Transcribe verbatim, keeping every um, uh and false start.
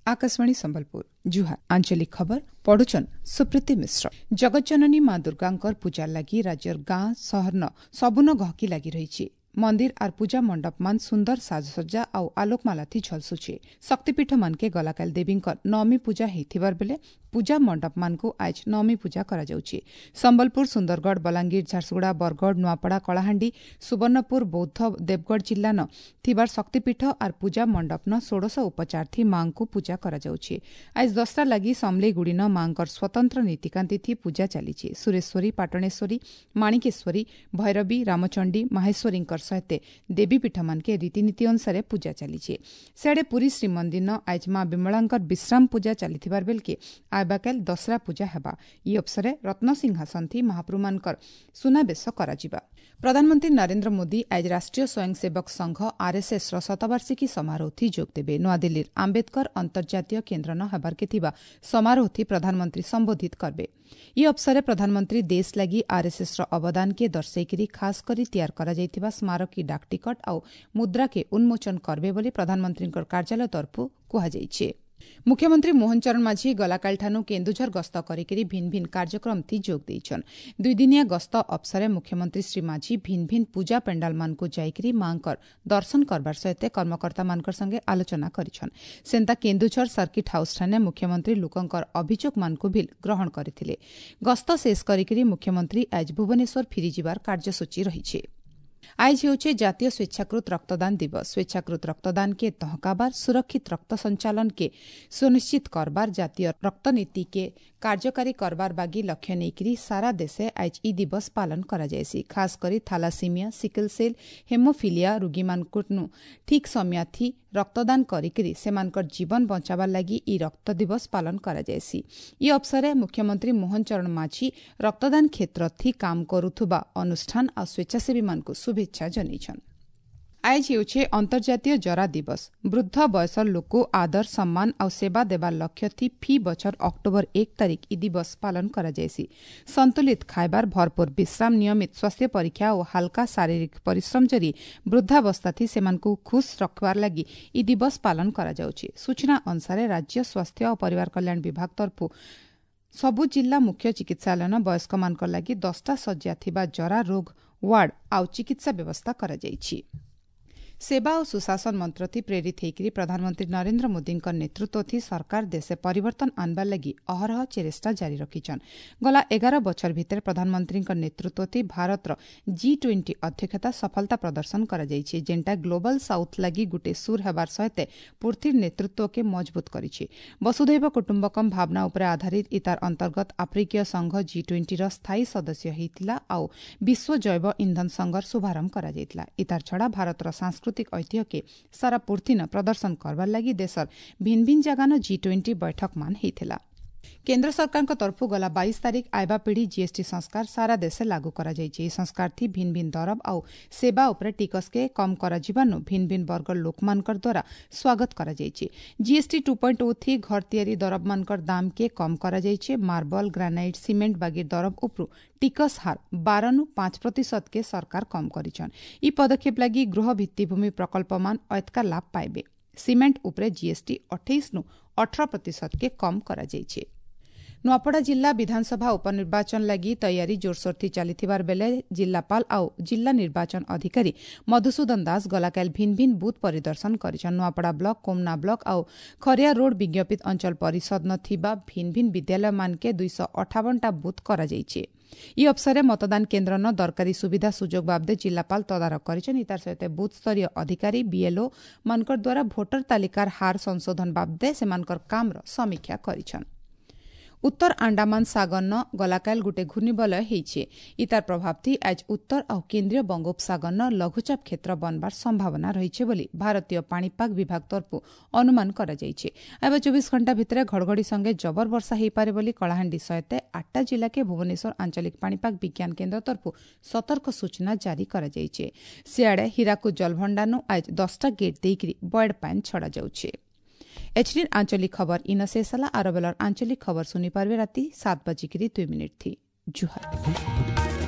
ଆକାଶବାଣୀ ସମ୍ବଲପୁର ଜୁହାର ଆଞ୍ଚଳିକ ଖବର ପଢୁଛନ୍ ସୁପ୍ରୀତି ମିଶ୍ର ଜଗତଜନନୀ ମା ଦୁର୍ଗାଙ୍କର ପୂଜା ଲାଗି ରାଜ୍ୟର ଗାଁ ସହରନ ସବୁନ ଗହକି ଲାଗି ରହିଛି ମନ୍ଦିର ଆର୍ ପୂଜା ମଣ୍ଡପମାନ ସୁନ୍ଦର ସାଜସଜ୍ଜା ଆଉ ଆଲୋକମାଲାଥି ଝଲସୁଛେ ଶକ୍ତିପୀଠ ମାନକେ ଗଲାକାଲି ଦେବୀଙ୍କର ନବମୀ ପୂଜା ହେଇଥିବାର ବେଲେ ପୂଜା ମଣ୍ଡପମାନଙ୍କୁ ଆଜ୍ ନବମୀ ପୂଜା କରାଯାଉଛି ସମ୍ବଲପୁର ସୁନ୍ଦରଗଡ଼ ବଲାଙ୍ଗୀର ଝାରସୁଗୁଡ଼ା ବରଗଡ଼ ନୂଆପଡ଼ା କଳାହାଣ୍ଡି ସୁବର୍ଣ୍ଣପୁର ବୌଦ୍ଧ ଦେବଗଡ଼ ଜିଲ୍ଲାନ ଥିବାର ଶକ୍ତିପୀଠ ଆର୍ ପୂଜା ମଣ୍ଡପନ ଷୋଡ଼ଶ ଉପଚାରଥି ମାଙ୍କୁ ପୂଜା କରାଯାଉଛି ଆଜ୍ ଦଶରା ଲାଗି ସମଲେଇ ଗୁଡ଼ିନ ମାଙ୍କର ସ୍ୱତନ୍ତ୍ର ନୀତିକାନ୍ତିଥି ପୂଜା ଚାଲିଛି ସୁରେଶ୍ୱରୀ ପାଟଣେଶ୍ୱରୀ ମାଣିକେଶ୍ୱରୀ ଭୈରବୀ ରାମଚଣ୍ଡୀ ମାହେଶ୍ୱରୀଙ୍କର ସହିତ ଦେବୀପୀଠମାନକେ ରୀତିନୀତି ଅନୁସାରେ ପୂଜା ଚାଲିଛି ସିଆଡ଼େ ପୁରୀ ଶ୍ରୀମନ୍ଦିର ଆଜ୍ ମା ବିମଳାଙ୍କର ବିଶ୍ରାମ ପୂଜା ଚାଲିଥିବାର ବେଲକେ ଆଇବାକାଲ ଦଶରା ପୂଜା ହେବା ଇ ଅବସରେ ରତ୍ନସିଂହାସନଥି ମହାପ୍ରଭୁମାନଙ୍କର ସୁନାବେଶ କରାଯିବା ପ୍ରଧାନମନ୍ତ୍ରୀ ନରେନ୍ଦ୍ର ମୋଦି ଆଜ ରାଷ୍ଟ୍ରୀୟ ସ୍ୱୟଂସେବକ ସଂଘ ଆର୍ଏସ୍ଏସ୍ର ଶତବାର୍ଷିକୀ ସମାରୋହଥି ଯୋଗ ଦେବେ ନୂଆଦିଲ୍ଲୀର ଆମ୍ବେଦକର ଅନ୍ତର୍ଜାତୀୟ କେନ୍ଦ୍ରନ ହେବାର୍କେ ଥିବା ସମାରୋହଥି ପ୍ରଧାନମନ୍ତ୍ରୀ ସମ୍ବୋଧିତ କରବେ ଇ ଅବସରେ ପ୍ରଧାନମନ୍ତ୍ରୀ ଦେଶ ଲାଗି ଆର୍ଏସ୍ଏସ୍ର ଅବଦାନକେ ଦର୍ଶାଇକରି ଖାସ୍ କରି ତିଆର କରାଯାଇଥିବା ସ୍ମାରକୀ ଡାକଟିକଟ ଆଉ ମୁଦ୍ରାକେ ଉନ୍ମୋଚନ କରବେ ବୋଲି ପ୍ରଧାନମନ୍ତ୍ରୀଙ୍କ କାର୍ଯ୍ୟାଳୟ ତରଫରୁ କୁହାଯାଇଛି ମୁଖ୍ୟମନ୍ତ୍ରୀ ମୋହନ ଚରଣ ମାଝୀ ଗଲାକାଲିଠାରୁ କେନ୍ଦୁଝର ଗସ୍ତ କରିକରି ଭିନ୍ ଭିନ୍ କାର୍ଯ୍ୟକ୍ରମଥି ଯୋଗ ଦେଇଛନ୍ ଦୁଇଦିନିଆ ଗସ୍ତ ଅବସରେ ମୁଖ୍ୟମନ୍ତ୍ରୀ ଶ୍ରୀ ମାଝୀ ଭିନ୍ ଭିନ୍ ପୂଜା ପେଣ୍ଡାଲମାନଙ୍କୁ ଯାଇକରି ମାଙ୍କର ଦର୍ଶନ କରବାର ସହିତ କର୍ମକର୍ତ୍ତାମାନଙ୍କର ସଙ୍ଗେ ଆଲୋଚନା କରିଛନ୍ ସେନ୍ତା କେନ୍ଦୁଝର ସର୍କିଟ୍ ହାଉସ୍ଠାନେ ମୁଖ୍ୟମନ୍ତ୍ରୀ ଲୋକଙ୍କର ଅଭିଯୋଗମାନଙ୍କୁ ବି ଗ୍ରହଣ କରିଥିଲେ ଗସ୍ତ ଶେଷ କରିକରି ମୁଖ୍ୟମନ୍ତ୍ରୀ ଆଜି ଭୁବନେଶ୍ୱର ଫେରିଯିବାର କାର୍ଯ୍ୟସୂଚୀ ରହିଛି ଆଏଜ ହେଉଛେ ଜାତୀୟ ସ୍ୱେଚ୍ଛାକୃତ ରକ୍ତଦାନ ଦିବସ ସ୍ୱେଚ୍ଛାକୃତ ରକ୍ତଦାନ କେ ତହକାବାର ସୁରକ୍ଷିତ ରକ୍ତ ସଞ୍ଚାଳନ କେ ସୁନିଶ୍ଚିତ କରବାର ଜାତୀୟ ରକ୍ତନୀତି କେ କାର୍ଯ୍ୟକାରୀ କରବାର ବାଗି ଲକ୍ଷ୍ୟ ନେଇକରି ସାରା ଦେଶେ ଆଏଜ ଇ ଦିବସ ପାଳନ କରାଯାଏସି ଖାସ କରି ଥାଲାସିମିଆ ସିକଲ ସେଲ୍ ହେମୋଫିଲିଆ ରୋଗୀମାନଙ୍କନୁ ଠିକ୍ ସମୟାଥି ରକ୍ତଦାନ କରିକରି ସେମାନଙ୍କର ଜୀବନ ବଞ୍ଚାବାର ଲାଗି ଇ ରକ୍ତ ଦିବସ ପାଳନ କରାଯାଏସି ଇ ଅବସରେ ମୁଖ୍ୟମନ୍ତ୍ରୀ ମୋହନ ଚରଣ ମାଝୀ ରକ୍ତଦାନ କ୍ଷେତ୍ରଥି କାମ କରୁଥିବା ଅନୁଷ୍ଠାନ ଆଉ ସ୍ୱେଚ୍ଛାସେବୀମାନଙ୍କୁ ଶୁଭେଚ୍ଛା ଜଣାଇଛନ୍ ଆଏଜ ହେଉଛେ ଅନ୍ତର୍ଜାତୀୟ ଜରା ଦିବସ ବୃଦ୍ଧ ବୟସର ଲୋକ ଆଦର ସମ୍ମାନ ଆଉ ସେବା ଦେବାର ଲକ୍ଷ୍ୟଥି ଫି ବଛର ଅକ୍ଟୋବର ଏକ ତାରିଖ ଇ ଦିବସ ପାଳନ କରାଯାଏସି ସନ୍ତୁଳିତ ଖାଇବାର ଭରପୁର ବିଶ୍ରାମ ନିୟମିତ ସ୍ୱାସ୍ଥ୍ୟ ପରୀକ୍ଷା ଓ ହାଲକା ଶାରୀରିକ ପରିଶ୍ରମ ଜରି ବୃଦ୍ଧାବସ୍ଥାଥି ସେମାନଙ୍କୁ ଖୁସ୍ ରଖବାର ଲାଗି ଇ ଦିବସ ପାଳନ କରାଯାଉଛି ସୂଚନା ଅନୁସାରେ ରାଜ୍ୟ ସ୍ୱାସ୍ଥ୍ୟ ଓ ପରିବାର କଲ୍ୟାଣ ବିଭାଗ ତରଫରୁ ସବୁ ଜିଲ୍ଲା ମୁଖ୍ୟ ଚିକିତ୍ସାଳୟନ ବୟସ୍କମାନଙ୍କ ଲାଗି ଦଶଟା ଶଯ୍ୟା ଥିବା ଜରା ରୋଗ ୱାର୍ଡ ଆଉ ଚିକିତ୍ସା ବ୍ୟବସ୍ଥା କରାଯାଇଛି ସେବା ଓ ସୁଶାସନ ମନ୍ତ୍ରଥି ପ୍ରେରିତ ହେଇକରି ପ୍ରଧାନମନ୍ତ୍ରୀ ନରେନ୍ଦ୍ର ମୋଦିଙ୍କ ନେତୃତ୍ୱଥି ସରକାର ଦେଶେ ପରିବର୍ତ୍ତନ ଆନବାର ଲାଗି ଅହରହ ଚେଷ୍ଟା ଜାରି ରଖିଛନ୍ ଗଲା ଏଗାର ବଛର ଭିତରେ ପ୍ରଧାନମନ୍ତ୍ରୀଙ୍କ ନେତୃତ୍ୱଥି ଭାରତର ଜି ଟ୍ୱେଣ୍ଟି ଅଧ୍ୟକ୍ଷତା ସଫଳତା ପ୍ରଦର୍ଶନ କରାଯାଇଛି ଯେନ୍ଟା ଗ୍ଲୋବାଲ ସାଉଥ୍ ଲାଗି ଗୁଟେ ସୁର ହେବାର ସହିତ ପୃଥିବୀର ନେତୃତ୍ୱକେ ମଜବୁତ କରିଛି ବସୁଧୈବ କୁଟୁମ୍ବକମ୍ ଭାବନା ଉପରେ ଆଧାରିତ ଇତାର ଅନ୍ତର୍ଗତ ଆଫ୍ରିକୀୟ ସଂଘ ଜି ଟ୍ୱେଣ୍ଟିର ସ୍ଥାୟୀ ସଦସ୍ୟ ହୋଇଥିଲା ଆଉ ବିଶ୍ୱ ଜୈବ ଇନ୍ଧନ ସଂଘର ଶୁଭାରମ୍ଭ କରାଯାଇଥିଲା ଇତାର ଛଡ଼ା ଭାରତର ସାଂସ୍କୃତିକ ଐତିହ୍ୟକେ ସାରା ପୃଥିବୀନ ପ୍ରଦର୍ଶନ କରବାର ଲାଗି ଦେଶର ଭିନ୍ ଭିନ୍ ଜାଗାନ ଜି ଟ୍ୱେଣ୍ଟି ବୈଠକମାନ ହେଇଥିଲା କେନ୍ଦ୍ର ସରକାରଙ୍କ ତରଫରୁ ଗଲା ବାଇଶ ତାରିଖ ଆଇବା ପିଢ଼ି ଜିଏସ୍ଟି ସଂସ୍କାର ସାରା ଦେଶେ ଲାଗୁ କରାଯାଇଛି ଏହି ସଂସ୍କାରଥି ଭିନ୍ ଭିନ୍ ଦରବ ଆଉ ସେବା ଉପରେ ଟିକସକେ କମ୍ କରାଯିବାନୁ ଭିନ୍ ଭିନ୍ ବର୍ଗର ଲୋକମାନଙ୍କର ଦ୍ୱାରା ସ୍ୱାଗତ କରାଯାଇଛି ଜିଏସ୍ଟି ଟୁ ପଏଣ୍ଟ ଓ ଥି ଘର ତିଆରି ଦରବମାନଙ୍କର ଦାମକେ କମ୍ କରାଯାଇଛି ମାର୍ବଲ ଗ୍ରାନାଇଟ୍ ସିମେଣ୍ଟ ବାଗିର ଦରବ ଉପରୁ ଟିକସ ହାର ବାରନୁ ପାଞ୍ଚ ପ୍ରତିଶତକେ ସରକାର କମ୍ କରିଛନ୍ ଇ ପଦକ୍ଷେପ ଲାଗି ଗୃହ ଭିତ୍ତିଭୂମି ପ୍ରକଳ୍ପମାନ ଅଏତକା ଲାଭ ପାଇବେ ସିମେଣ୍ଟ ଉପରେ ଜିଏସ୍ଟି ଅଠେଇଶନୁ ଅଠର ପ୍ରତିଶତକେ କମ୍ କରାଯାଇଛି ନୂଆପଡ଼ା ଜିଲ୍ଲା ବିଧାନସଭା ଉପନିର୍ବାଚନ ଲାଗି ତୟାରୀ ଜୋରସୋରଥି ଚାଲିଥିବାର ବେଲେ ଜିଲ୍ଲାପାଳ ଆଉ ଜିଲ୍ଲା ନିର୍ବାଚନ ଅଧିକାରୀ ମଧୁସୂଦନ ଦାସ ଗଲାକାଲି ଭିନ୍ ଭିନ୍ ବୁଥ୍ ପରିଦର୍ଶନ କରିଛନ୍ ନୂଆପଡ଼ା ବ୍ଲକ କୋମନା ବ୍ଲକ ଆଉ ଖରିଆ ରୋଡ୍ ବିଜ୍ଞପିତ ଅଞ୍ଚଳ ପରିଷଦ ଥିବା ଭିନ୍ ଭିନ୍ ବିଦ୍ୟାଳୟମାନକେ ଦୁଇଶହ ଅଠାବନଟା ବୁଥ୍ କରାଯାଇଛି ଇ ଅବସରେ ମତଦାନ କେନ୍ଦ୍ରନ ଦରକାରୀ ସୁବିଧା ସୁଯୋଗ ବାବଦେ ଜିଲ୍ଲାପାଳ ତଦାରଖ କରିଛନ୍ତି ତାର ସହିତ ବୁଥ୍ ସ୍ତରୀୟ ଅଧିକାରୀ ବିଏଲ୍ଓ ମାନଙ୍କର ଦ୍ୱାରା ଭୋଟର ତାଲିକାର ହାର ସଂଶୋଧନ ବାବଦେ ସେମାନଙ୍କର କାମର ସମୀକ୍ଷା କରିଛନ୍ ଉତ୍ତର ଆଣ୍ଡାମାନ ସାଗରନ ଗଲାକାଲ ଗୁଟେ ଘୂର୍ଣ୍ଣିବଳୟ ହେଇଛେ ଇତାର ପ୍ରଭାବଥି ଆଜ ଉତ୍ତର ଆଉ କେନ୍ଦ୍ରୀୟ ବଙ୍ଗୋପସାଗରନ ଲଘୁଚାପ କ୍ଷେତ୍ର ବନବାର ସମ୍ଭାବନା ରହିছে ବୋଲି ଭାରତୀୟ ପାଣିପାଗ ବିଭାଗ ତରଫରୁ ଅନୁମାନ କରାଯାଇଛି ଏବେ ଚବିଶ ଘଣ୍ଟା ଭିତରେ ଘଡ଼ଘଡ଼ି ସଙ୍ଗେ ଜବର ବର୍ଷା ହେଇପାରେ ବୋଲି କଳାହାଣ୍ଡି ସହିତ ଆଠଟା ଜିଲ୍ଲାକେ ଭୁବନେଶ୍ୱର ଆଞ୍ଚଳିକ ପାଣିପାଗ ବିଜ୍ଞାନ କେନ୍ଦ୍ର ତରଫରୁ ସତର୍କ ସୂଚନା ଜାରି କରାଯାଇଛି ସିଆଡ଼େ ହୀରାକୁଦ ଜଳଭଣ୍ଡାରନୁ ଆଜ ଦଶଟା ଗେଟ୍ ଦେଇକରି ବଏଡ୍ ପାଣି ଛଡ଼ାଯାଉଛି ଏଚ୍ଡି ଆଞ୍ଚଳିକ ଖବର ଇନ ଶେଷ ହେଲା ଆର ବେଲର ଆଞ୍ଚଳିକ ଖବର ଶୁଣିପାରିବେ ରାତି ସାତ ବାଜିକିରି ଦୁଇ ମିନିଟ୍ ଥି ଜୁହାର